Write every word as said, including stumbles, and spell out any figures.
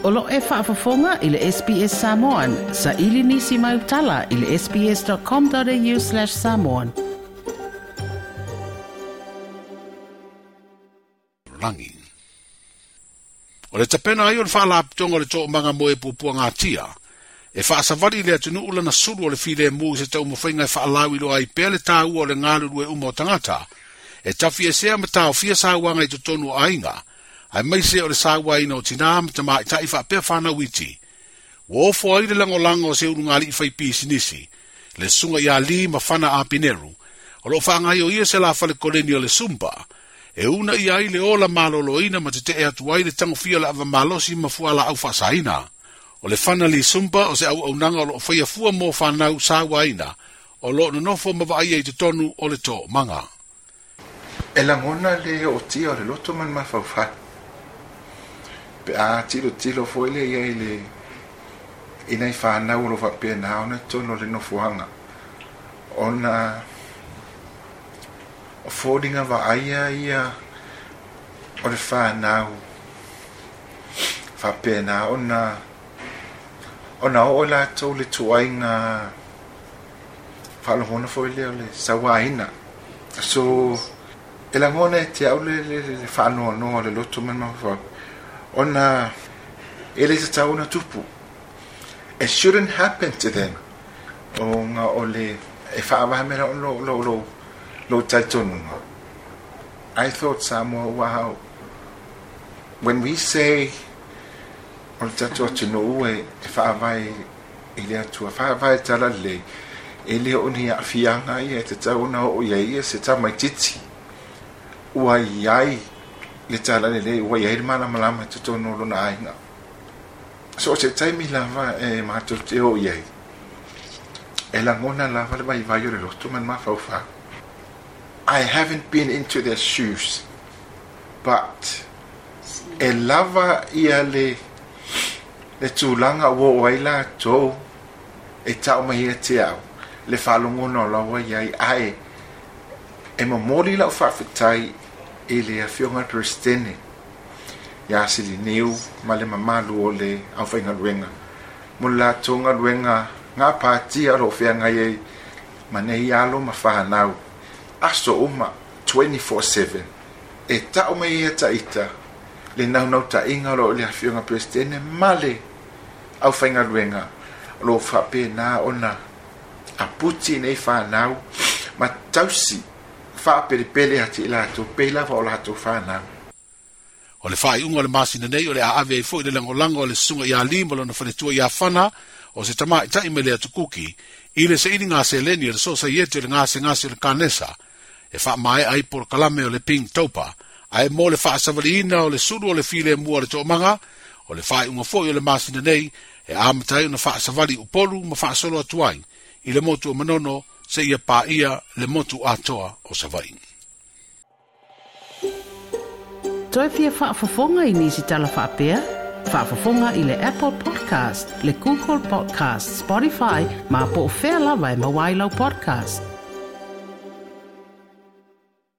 O lo e faafofoga i le S B S Samoan, sa ili nisi mai utala i le sbs.com.au slash samoan. Rangi. O le tapena ai o le whaalaputonga o le toomaga mo e pupua ngā e whaasavali le atunuu lana sulu o le file mu se tau mawhainga e whaalawi lo ai pea le tāua o le ngalulu e uma o tangata, e tafi e sea matao fia sāuanga i totonu o ainga, ai maise o le sāuaina o tina ma tamaitai whaapea whanau iti. Ua ofo ai le langolango o se ulu ngali i whai pisinisi, le sunga ia li ma whana a pineru, o lo whaangai o ia se la whale koleni o le sumpa, e una ia ai le ola maloloina ma te te atu ai le tangofia le awa malosi ma fuala au whaasaina. O le whana li sumpa o se au aunanga o lo whaia fua mō whanau sāuaina, o lo nonofo mawaia i te tonu o le tō manga. E langona le o tia o le loto man mawhauwhai. Pe a tilo tilo foile ia i le ina i whanau o lo whapea nā ona tono le nofohanga. Ona o fōringa wa aia ia o le whanau whapea nā ona ona o lātou le tuainga whaalohona foile o le sawaina. So e langona e te au le, le, le, le whaanoa noa le loto man mawhau. Ona e le tatau ona tupu. It shouldn't happen to them. O ngā o le e whaawahemera o lo, lo, lo, lo taitonunga. I thought Samoa, wow. When we say o le tatu atunuu e whaawai i le atua, whaawai tala le, e le o ni awhianga ia e te tau ona o ia ia se tamaititi. Ua iai le tala le le, ua iai le malamalama te tono lona ainga. So o te taimi lava e mātou te o iai. E langona lava le vai vai o le loto man mawhauwhau. I haven't been into their shoes, but e lava ia le le tūlanga ua o ai lātou e tau mai e te au, le whalongona o lawa iai ae e momoli lau whaafetai e le afioga Presidente ia Silineu ma le mamalu o le aufaigaluega mo le latou galuega ngā pātia o loo feagai ai ma nei alo ma whanau aso uma twenty-four seven e tau mai ia taita le naunautaiga o loo le afioga Presidente ma le aufaigaluega o loo faapena ona aputi nei whanau ma tausi whaapelepele ati i latou pei lava o latou whanau. O le whaaiunga o le masina nei o le aave ai foi le langolango o le susunga ia lima lona faletua ia whana o se tamaitai me le atukuki i le seili ngā seleni o le sosaiete o le ngasegase o le kanesa e whaamae ai polokalame o le ping taupa ae mo le faasavaliina o le sulu o le file mua o le toomaga o le whaaiunga foi o le masina nei e amatai ona faasavali upolu ma faasolo atu ai i le motu o Manono se ia pāia le motu atoa o Savaii. Toi fia faafofoga i nisi tala faapea? Faafofoga i le Apple Podcast, le Google Podcast, Spotify, ma po o fea lava e maua ai lau podcast.